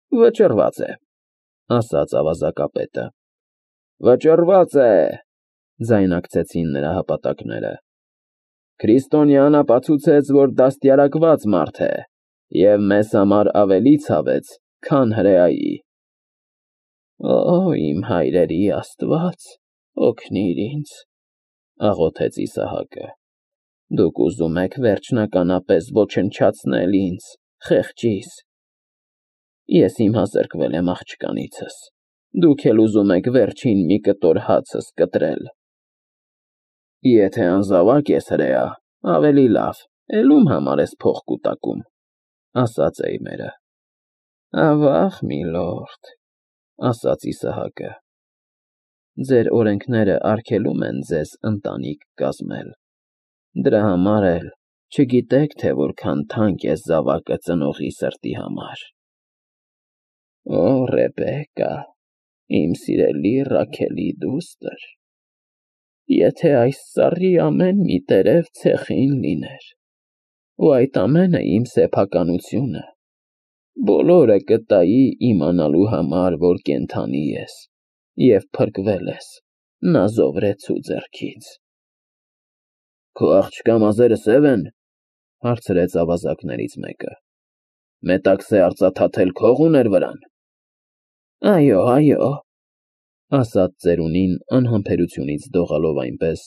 Վճռված է, ասաց ավազակապետը։ Վճռված է, ձայնակցեցին նրա հապատակները։ Քրիստոնյան ապացուցեց, որ դաստիարակված մարդ է և մեզ համար ավելի ցավեց, քան հրեայի։ Օ, իմ հայրերի Աստված, օգնիր ինձ, աղոթեց Իսահակը։ Դուք ուզում եք վերջնականապես ոչնչացնել ինձ, խեղճիս։ Ես հիմա զրկվել եմ աղջկանիցս, դուք էլ ուզում եք վերջին մի կտոր հացս կտրել։ Եթե անզավակ ես հրեա, ավելի լավ, էլ ում համար ես փող կուտակում, ասաց էյմերը։ Ավաղ, միլորդ, ասաց Իսահակը, ձեր օրենքները արգելում են ձեզ ընտանիք կազմել, դրա համար էլ չգիտեք, թե որքան թանկ է զավակը ծնողի սրտի համար։ Օ, Ռեբեկա, իմ սիրելի Ռաքելի դուստր, եթե այս ծառի ամեն մի տերև ցեխին լիներ, ու այդ ամենը իմ սեփականությունը, բոլորը կտայի իմանալու համար, որ կենդանի ես և փրկվել ես նազովրեցու ձեռքից։ Քո աղջկա մազերը սև են, հարցրեց ավազակներից մեկը։ Մետաքսե արծաթաթել քող ուներ վրան։ Այո, այո, ասաց ծերունին անհամբերությունից դողալով այնպես,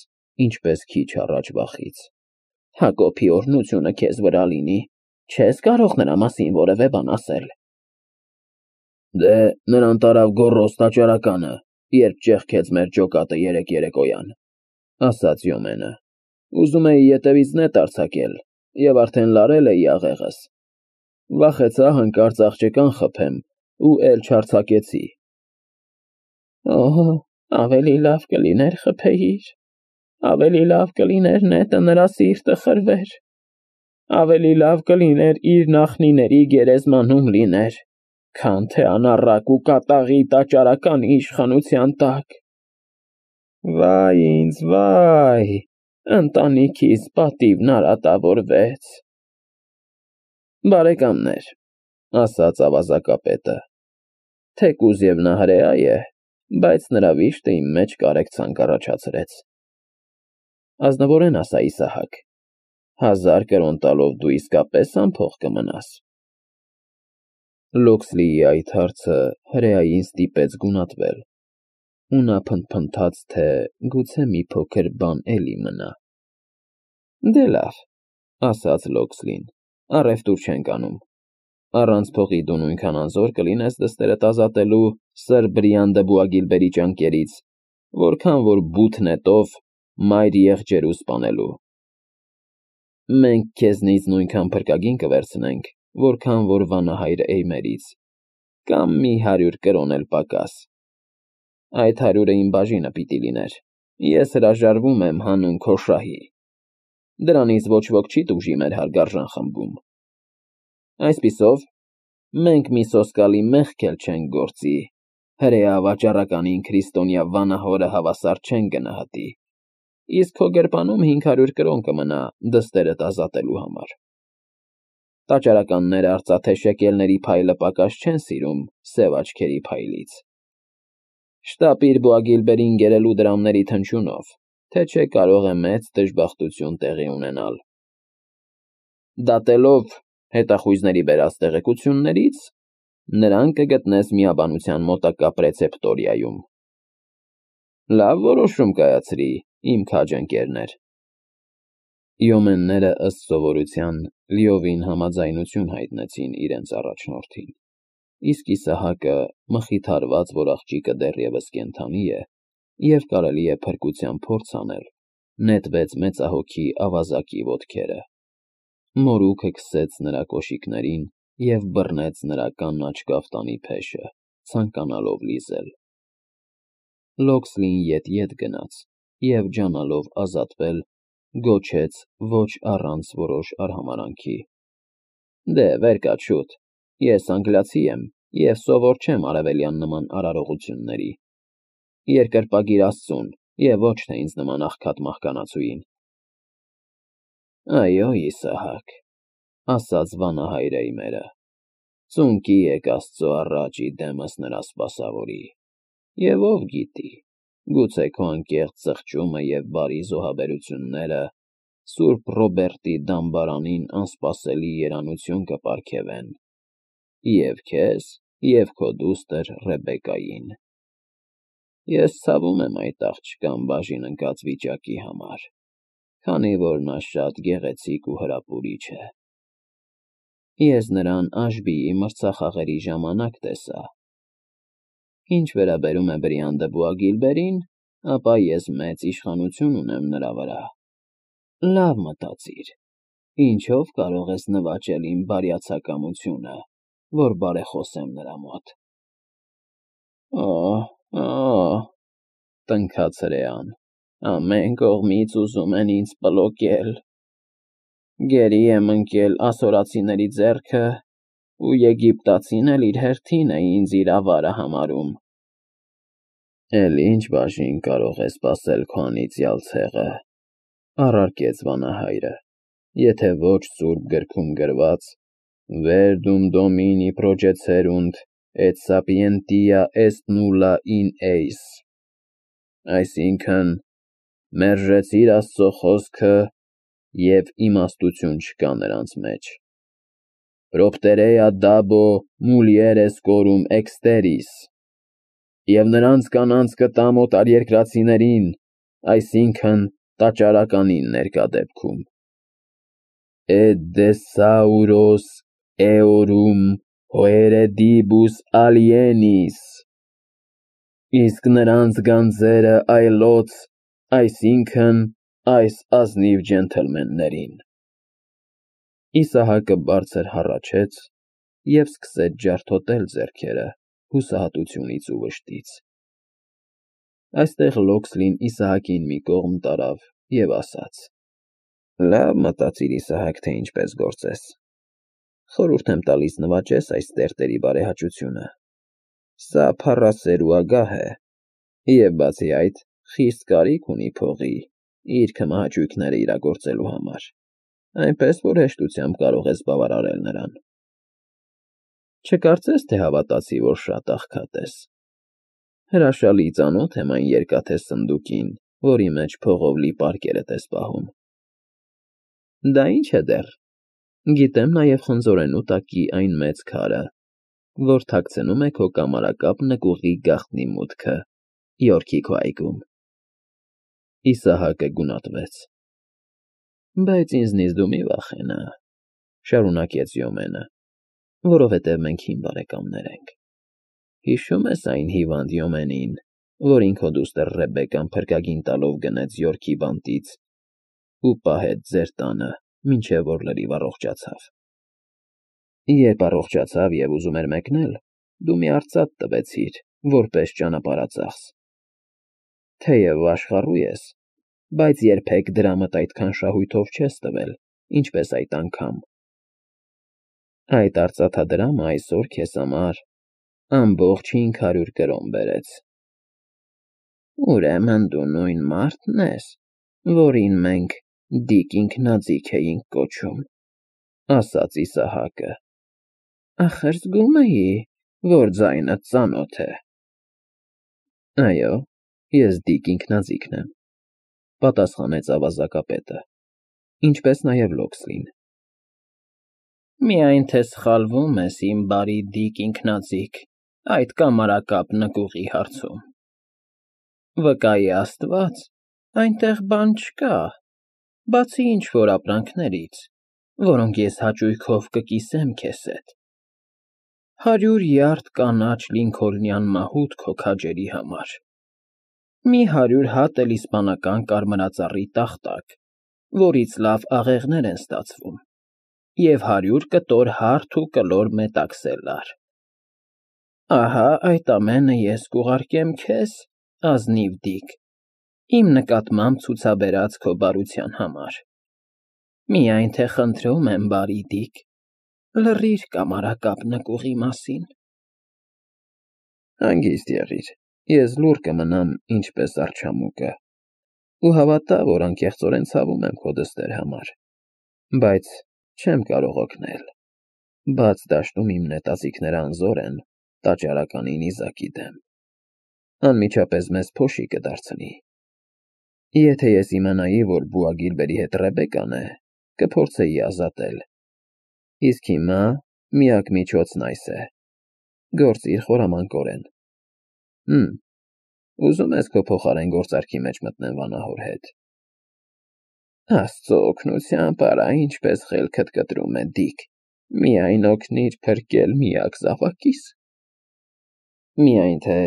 ինչպես քիչ առաջ վախից։ Հակոբի օրհնությունը քեզ վրա լինի, չես կարող նրա մասին որևէ բան ասել։ Դե, նրան տարավ գոռոզ տաճարականը, երբ ճեղքեց մեր ջոկատը երեկոյան, ասաց Յոմենը։ Ուզում էի ետևից նետ արձակել և արդեն լարել էի աղեղս։ Վախեցա հանկարծ աղջկան խփեմ ու էլ չարձակեցի։ Օհո, ավելի լավ կլիներ խփեիր, ավելի լավ կլիներ նետը նրա սիրտը խրվեր, ավելի լավ կլիներ իր նախնիների գերեզմանում լիներ, քան թե անառակ ու կատաղի տաճարականի իշխանության տակ։ Վայ ինձ, վայ, ընտանիքիս պատիվն արատավորվեց։ Բարեկամներ, ասաց ավազակապետը, թեկուզ և նա հրեա է, բայց նրա վիշտը իմ մեջ կարեկցանք առաջացրեց։ Ազնվորեն ասա Իսահակ, 1000 կրոն տալով դու իսկապես անփող կմնաս։ Լոքսլիի այդ հարցը հրեային ստիպեց գունատվել, ու նա փնթփնթաց, թե գուցե մի փոքր բան էլի մնա։ Դե լավ, ասաց Լոքսլին, առևտուր չենք անում։ Առանց փողի դու նույնքան անզոր կլինես դստերդ ազատելու Սր Բրիան դը Բուագիլբերի ճանկերից, որքան որ բութ նետով մայր եղջերու սպանելու։ Մենք քեզնից նույնքան փրկագին կվերցնենք, որքան որ վանահայր Էյմերից, կամ մի 100 կրոն էլ պակաս։ Այդ 100-ը իմ բաժինը պիտի լիներ, ես հրաժարվում եմ հանուն քո շահի։ Դրանից ոչ ոք չի տուժի մեր հարգարժան խմբում։ Այսպիսով, մենք մի սոսկալի մեղք էլ չենք գործի, հրեա վաճառականին քրիստոնյա վանահորը հավասար չեն գնահատի, իսկ քո գրպանում 500 կրոն կմնա դստերդ ազատելու համար։ Տաճարականները արծաթե շեկելների փայլը պակաս չեն սիրում սև աչքերի փայլից։ Շտապիր Բուագիլբերին գերելու դրամների թնչյունով, թե չէ կարող է մեծ դժբախտություն տեղի ունենալ։ Դատելով հետախույզների բերած տեղեկություններից, նրան կգտնես միաբանության մոտակա Պրեցեպտորիայում։ Լավ որոշում կայացրի, իմ քաջ ընկերներ։ Յոմենները ըստ սովորության լիովին համաձայնություն հայտնեցին իրենց առաջնորդին, իսկ Իսահակը, մխիթարված, որ աղջիկը դեռևս կենդանի է և կարելի է փրկության փորձ անել, նետվեց մեծահոգի ավազակի ոտքերը։ Մորուքը քսեց նրա կոշիկներին և բռնեց նրա կանաչ կաֆտանի փեշը, ցանկանալով լիզել։ Լոքսլին ետ գնաց և ջանալով ազատվել, գոչեց ոչ առանց որոշ արհամարհանքի. Դե, վեր կաց շուտ, ես անգլիացի եմ և սովոր չեմ արևելյան նման արարողությունների։ Երկրպագիր Աստծուն և ոչ թե ինձ նման աղքատ մահկանացուին։ Այո, Իսահակ, ասաց վանահայր Էյմերը, Ծունկի եք Աստծո առաջ իդեմս նրա սպասավորի, և ով գիտի, գուցե քո անկեղծ զղջումը և բարի զոհաբերությունները Սուրբ Ռոբերտի դամբարանին անսպասելի երանություն կպարգևեն և քեզ, և քո դուստր Ռեբեկային։ Ես ցավում եմ այդ աղջկան բաժին ընկած վիճակի համար, քանի որ նա շատ գեղեցիկ ու հրապուրիչ է։ Ես նրան Աշբիի մրցախաղերի ժամանակ տեսա։ Ինչ վերաբերում է Բրիան դը Բուագիլբերին, ապա ես մեծ իշխանություն ունեմ նրա վրա։ Լավ մտածիր, ինչով կարող ես նվաճել իմ բարյացակամությունը, որ բարեխոսեմ նրա մոտ։ Օ՜, տնքաց հրեան, ամեն կողմից ուզում են ինձ պլոկել։ Գերի եմ ընկել ասորացիների ձեռքը, ու Եգիպտացին էլ իր հերթին է ինձ իր ավարը համարում։ Էլ ինչ բաժին կարող է սպասել քո անիծյալ ցեղը, առարկեց վանահայրը, եթե ոչ սուրբ գրքում գրված Verdum Domini procecerunt et sapientia est nulla in eis, այսինքն մերժեցիր Աստծո խոսքը և իմաստություն չկա նրանց մեջ։ Propterea dabo mulieres corum exteris, և նրանց կանանց կտամ օտարերկրացիներին, այսինքն տաճարականին ներկա դեպքում։ Et desauros eorum hoeredibus alienis, իսկ նրանց գանձերը այլոց, այսինքն այս ազնիվ ջենթլմեններին։ Իսահակը բարձր հառաչեց և սկսեց ջարդոտել ձեռքերը հուսահատությունից ու վշտից։ Այստեղ Լոքսլին Իսահակին մի կողմ տարավ և ասաց. Լավ մտածիր, Իսահակ, թե ինչպես գործես։ Խորհուրդ եմ տալիս նվաճես այս տերտերի բարեհաճությունը։ Սա փառասեր ու ագահ է, և բացի այդ, խիստ կարիք ունի փողի իր քմահաճույքները իրագործելու համար, այնպես որ հեշտությամբ կարող ես բավարարել նրան։ Չկարծես, թե հավատացի, որ շատ աղքատ ես։ Հրաշալի ծանոթ եմ այն երկաթե սնդուկին, որի մեջ փողով լի պարկերդ ես պահում։ Դա ինչ է դեռ։ Գիտեմ նաև խնձորենու տակի այն մեծ քարը, որ թաքցնում է քո կամարակապ նկուղի գաղտնի մուտքը Յորքի քո այգում։ Իսահակը գունատվեց։ Բայց ինձնից դու մի վախենա, շարունակեց Յոմենը, որովհետև մենք հին բարեկամներ ենք։ Հիշո՞ւմ ես այն հիվանդ Յոմենին, որին քո դուստր Ռեբեկան փրկագին տալով գնեց Յորքի բանտից ու պահեց ձեր տանը, մինչև որ լրիվ առողջացավ։ Երբ առողջացավ և ուզում էր մեկնել, դու մի արծաթ տվեցիր, որպես ճանապարհածախս։ Թեև աշխառու ես, բայց երբեք դրամդ այդքան շահույթով չես տվել, ինչպես այդ անգամ։ Այդ արծաթադրամը այսօր քեզ համար ամբողջ 500 կրոն բերեց։ Ուրեմն դու նույն մարդն ես, որին մենք Դիկ Ինքնաձիգ էինք կոչում, ասաց Իսահակը։ Ախր զգում էի, որ ձայնդ ծանոթ է։ Այո, ես Դիկ Ինքնաձիգն եմ, պատասխանեց ավազակապետը, ինչպես նաև Լոքսլին։ Միայն թե սխալվում ես, իմ բարի Դիկ Ինքնաձիգ, այդ կամարակապ նկուղի հարցում։ Վկայի Աստված, այնտեղ բան չկա, բացի ինչ-որ ապրանքներից, որոնք ես հաճույքով կկիսեմ քեզ հետ։ 100 յարդ կանաչ լինքոլնյան մահուդ քո քաջերի համար, մի 100 հատ էլ իսպանական կարմրածառի տախտակ, որից լավ աղեղներ են ստացվում, և 100 կտոր հարթ ու կլոր մետաքսելլար։ Ահա այդ ամենը ես կուղարկեմ քեզ, ազնիվ Դիկ, իմ նկատմամբ ցուցաբերած քո բարության համար։ Միայն թե խնդրում եմ, բարի Դիկ, լռիր կամարակապ նկուղի մասին։ Հանգիստ եղիր, ես լուռ կմնամ ինչպես արջամուկը, ու հավատա, որ անկեղծորեն ցավում եմ քո դստեր համար, բայց չեմ կարող օգնել։ բաց դաշտում իմ նետածիկները անզոր են տաճարականի նիզակի դեմ։ Անմիջապես մեզ փոշի կդարձնի։ Եթե ես իմանայի, որ բուա Գիլբերի հետ Ռեբեկան է, կփորձեի ազատել։ Իսկ հիմա միակ միջոցն այս է։ Գործիր խորամանկորեն։ Ուզում ես քո փոխարեն գործարքի մեջ մտնեմ վանահոր հետ։ Աստծո օգնությամբ արա ինչպես խելքդ կտրում է, Դիք, միայն օգնիր փրկել միակ զավակիս։ Միայն թե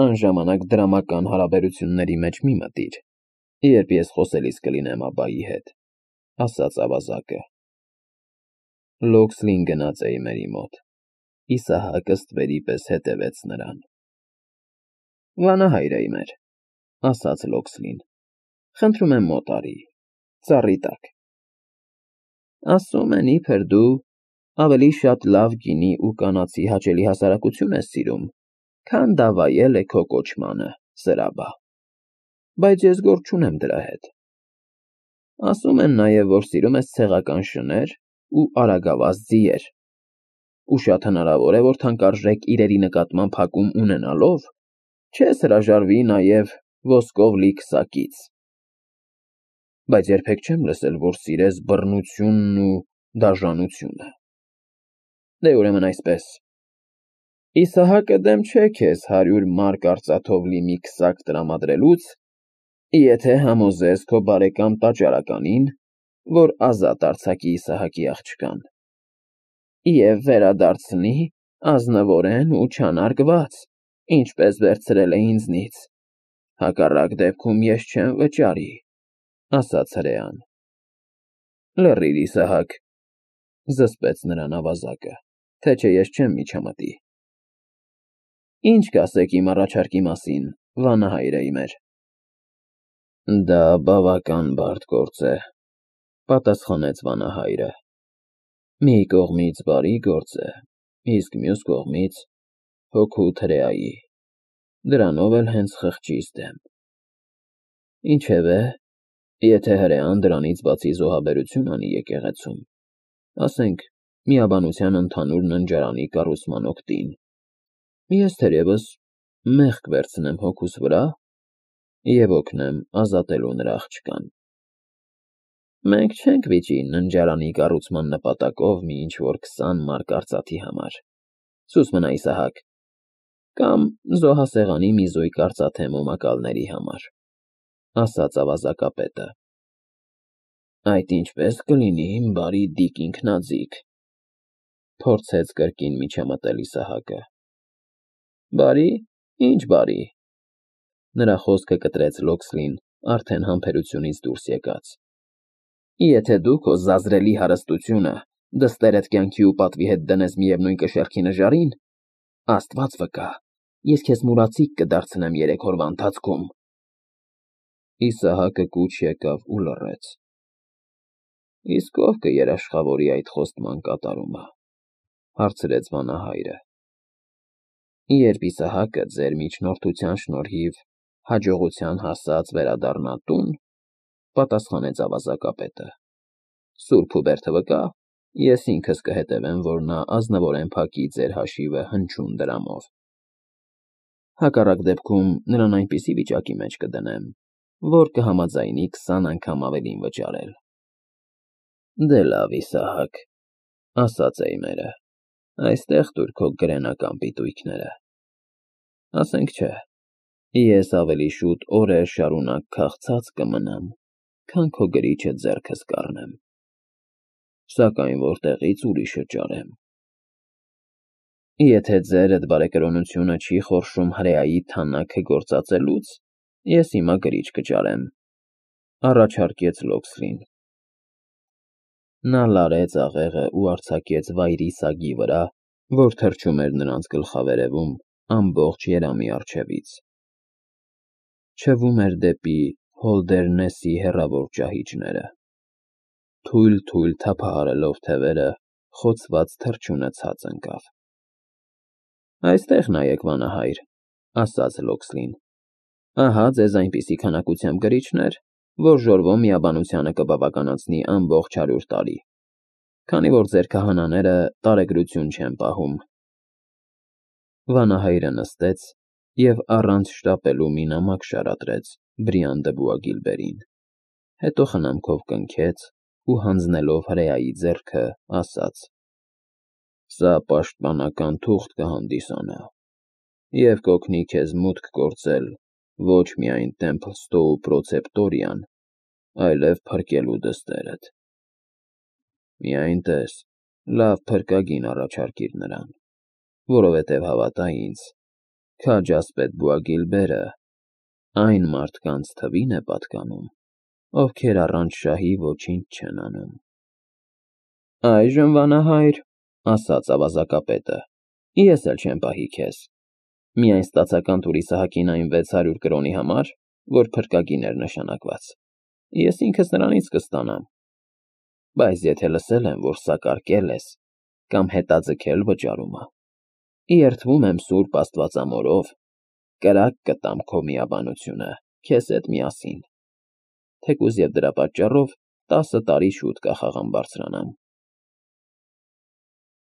անժամանակ դրամական հարաբերությունների մեջ մի մտիր, երբ ես խոսելիս կլինեմ աբայի հետ, ասաց ավազակը։ Լոքսլին գնաց Էյմերի մոտ։ Իսահակը ստվերի պես հետևեց նրան։ Վանահայր Էյմեր, ասաց Լոքսլին, խնդրում եմ մոտ արի, ծառի տակ։ Ասում են իբր դու ավելի շատ լավ գինի ու կանացի հաճելի հասարակություն ես սիրում, քան դավայել է քո կոչմանը, սրաբա, բայց ես գործ չունեմ դրա հետ։ Ասում են նաև, որ սիրում ես ցեղական շներ ու արագավազ ձիեր, ու շատ հնարավոր է, որ թանկարժեք իրերի նկատմամբ հակում ունենալով, չես հրաժարվի նաև ոսկով լի քսակից։ Բայց երբեք չեմ լսել, որ սիրես բռնությունն ու դաժանությունը։ Դե ուրեմն այսպես, Իսահակը դեմ չէ քեզ 100 մարկ արծաթով լի մի քսակ տրամադրելուց, եթե համոզես քո բարեկամ տաճարականին, որ ազատ արձակի Իսահակի աղջկան, և վերադարձնի ազնվորեն ու չանարգված, ինչպես վերցրել է ինձնից, հակառակ դեպքում ես չեմ վճարի, ասաց հրեան։ Լռիր, Իսահակ, զսպեց նրան ավազակը, թե չէ ես չեմ միջամտի։ Ինչ կասեք իմ առաջարկի մասին, վանահայր Էյմեր։ Դա բավական բարդ գործ է, պատասխանեց վանահայրը։ Մի կողմից բարի գործ է, իսկ մյուս կողմից հոգու հրեայի, դրանով էլ հենց խղճիս դեմ։ Ինչևէ, եթե հրեան դրանից բացի զոհաբերություն անի եկեղեցում, ասենք միաբանության ընդհանուր ննջարանի կառուցման օգտին, ես թերևս մեղք վերցնեմ հոգուս վրա և օգնեմ ազատելու նրա աղջկան։ Մենք չենք վիճի ննջարանի կառուցման նպատակով մի ինչ-որ 20 մարկ արծաթի համար, սուս մնա Իսահակ, կամ զոհասեղանի մի զույգ արծաթե մոմակալների համար, ասաց ավազակապետը։ Այդ ինչպես կլինի, իմ բարի Դիք ինքնաձիգ, փորձեց կրկին միջամտել Իսահակը։ Բարի, ինչ բարի։ Նրա խոսքը կտրեց Լոքսլին արդեն համբերությունից դուրս եկած։ Եթե դու քո զազրելի հարստությունը դստերդ կյանքի ու պատվի հետ դնես միևնույն կշեռքի նժարին, Աստված վկա, ես քեզ մուրացիկ կդարձնեմ 3 օրվա ընթացքում։ Իսահակը կուչ եկավ ու լռեց։ Իսկ ով կերաշխավորի այդ խոստման կատարումը, հարցրեց վանահայրը։ Երբ Իսահակը ձեր միջնորդության շնորհիվ հաջողության հասած վերադառնա տուն, պատասխանեց ավազակապետը, Սուրբ Հուբերտը վկա, ես ինքս կհետևեմ, որ նա ազնվորեն փակի ձեր հաշիվը հնչյուն դրամով։ Հակառակ դեպքում նրան այնպիսի վիճակի մեջ կդնեմ, որ կհամաձայնի 20 անգամ ավելին վճարել։ Դե լավ, Իսահակ, ասաց Էյմերը, այստեղ տուր քո գրենական պիտույքները։ Ասենք չէ, ես ավելի շուտ օրեր շարունակ քաղցած կմնամ, քան քո գրիչը ձեռքս կառնեմ, սակայն որտեղից ուրիշը ճարեմ։ Եթե ձերդ բարեկրոնությունը չի խորշում հրեայի թանաքը գործածելուց, ես հիմա գրիչ կճարեմ, առաջարկեց Լոքսլին։ Նա լարեց աղեղը ու արձակեց վայրի սագի վրա, որ թռչում էր նրանց գլխավերևում ամբողջ երամի առջևից։ Չվում էր դեպի Հոլդերնեսի հեռավոր ճահիճները։ Թույլ թափահարելով թևերը, խոցված թռչյունը ցած ընկավ։ Այստեղ նայեք, վանահայր, ասաց Լոքսլին։ Ահա ձեզ այնպիսի քանակությամբ գրիչներ, որ ժորվո միաբանությանը կբավականացնի ամբողջ 100 տարի։ քանի որ ձեր քահանաները տարեգրություն չեն պահում։ Վանահայրը նստեց և առանց շտապելու մի նամակ շարադրեց Բրիան դը Բուագիլբերին, հետո խնամքով կնքեց ու հանձնելով հրեայի ձեռքը, ասաց. «Սա պաշտպանական թուղթ կհանդիսանա և կօգնի քեզ մուտք գործել ոչ միայն Տեմփլ Ստոու պրոցեպտորիան, այլև փրկելու դստերդ։ Միայն տես, լավ փրկագին առաջարկիր նրան, որովհետև հավատա ինձ, քաջ ասպետ Բուագիլբերը այն մարդկանց թվին է պատկանում, ովքեր առանց շահի ոչինչ չեն անում»։ «Այժմ, վանահայր, ֊ ասաց ավազակապետը, ֊ ես էլ չեմ պահի քեզ, միայն ստացական տուր Իսահակին այն 600 կրոնի համար, որ փրկագին էր նշանակված, ես ինքս նրանից կստանամ, բայց եթե լսել եմ, որ սակարկել ես կամ հետաձգել վճարումը, երդվում եմ սուրբ Աստվածամորով, կրակ կտամ քո միաբանությունը քեզ հետ միասին, թեկուզ և դրա պատճառով 10 տարի շուտ կախաղան բարձրանամ»։